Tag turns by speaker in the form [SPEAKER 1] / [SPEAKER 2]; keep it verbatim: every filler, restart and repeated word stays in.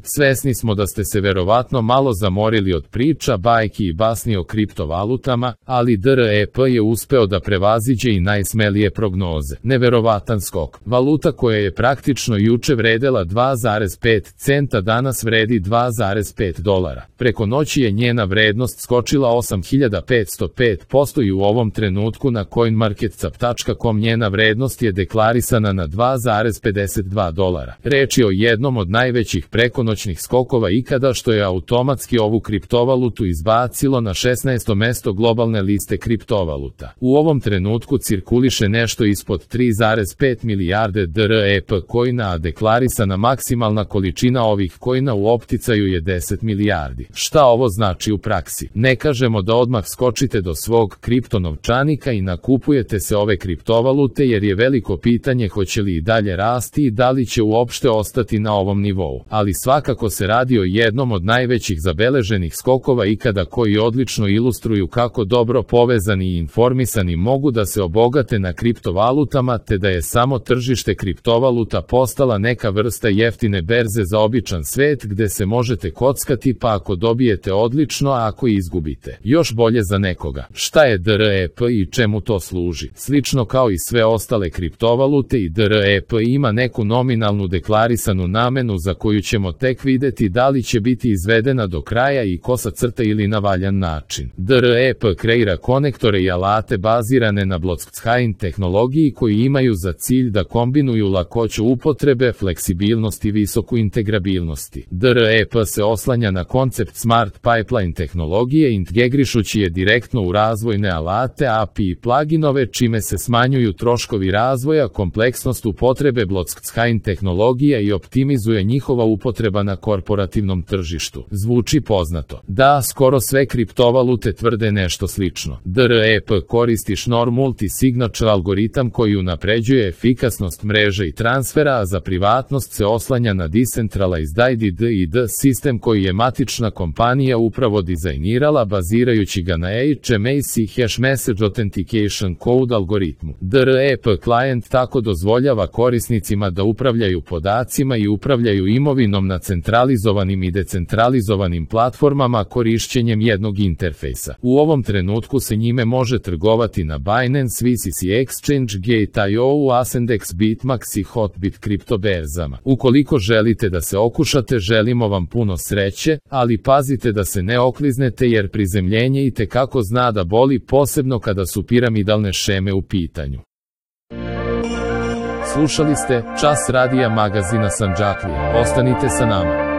[SPEAKER 1] Svesni smo da ste se verovatno malo zamorili od priča, bajki i basni o kriptovalutama, ali D R E P je uspeo da prevaziđe i najsmelije prognoze. Neverovatan skok. Valuta koja je praktično juče vredela dva zarez pet centa danas vredi dva zarez pet dolara. Preko noći je njena vrednost skočila osam hiljada petsto pet posto i u ovom trenutku na coinmarketcap tačka com njena vrednost je deklarisana na dva zarez pedeset dva dolara. Reč je o jednom od najvećih prekonoćnih skokova ikada što je automatski ovu kriptovalutu izbacilo na šesnaesto mesto globalne liste kriptovaluta. U ovom trenutku cirkuliše nešto ispod tri zarez pet milijarde D R E P coina, a deklarisana maksimalna količina ovih coina u opticaju je deset milijardi. Šta ovo znači u praksi? Ne kažemo da odmah skočite do svog kriptonovčanika i nakupujete se ove kriptovalute jer je veliko pitanje hoće li i dalje rasti i da li će uopšte ostati na ovom nivou. Ali svakako se radi o jednom od najvećih zabeleženih skokova ikada koji odlično ilustruju kako dobro povezani i informisani mogu da se obogate na kriptovalutama te da je samo tržište kriptovaluta postala neka vrsta jeftine berze za običan svet gde se možete kockati pa ako dobijete odlično, a ako izgubite još bolje za nekoga. Šta je D R E P i čemu to služi? Slično kao i sve ostale kriptovalute i D R E P ima neku nominalnu deklarisanu namenu za koju ćemo tek videti da li će biti izvedena do kraja i kosa crta ili na valjan način. D R E P kreira konektore i alate bazirane na blockchain tehnologiji koji imaju za cilj da kombinuju lakoću upotrebe, fleksibilnost i visoku integrabilnosti. D R E P se oslanja na koncept Smart Pipeline tehnologije integrišući je direktno u razvojne alate, A P I i pluginove čime se smanjuju troškovi razvoja, kompleksnost upotrebe blockchain tehnologija i optimizuje njihova upotreba na korporativnom tržištu. Zvuči poznato. Da, skoro sve kriptovalute tvrde nešto slično. D R E P koristi Schnorr multi-signature algoritam koji unapređuje efikasnost mreže i transfera, a za privatnost se oslanja na Decentralized I D D I D sistem koji je matična kompanija upravo dizajnirala bazirajući ga na H M A C Hash Message Authentication Code algoritmu. D R E P client tako dozvoljava korisnicima da upravljaju podacima i upravljaju imovinom na centralizovanim i decentralizovanim platformama korišćenjem jednog interfejsa. U ovom trenutku se njime može trgovati na Binance, V C C Exchange, Gate punkt I O, Ascendex, Bitmax i Hotbit kriptoberzama. Ukoliko želite da se okušate, želimo vam puno sreće, ali pazite da se ne okliznete jer prizemljenje i tekako zna da boli, posebno kada su piramidalne šeme u pitanju. Slušali ste Čas radija magazina Sandžaklija. Ostanite sa nama.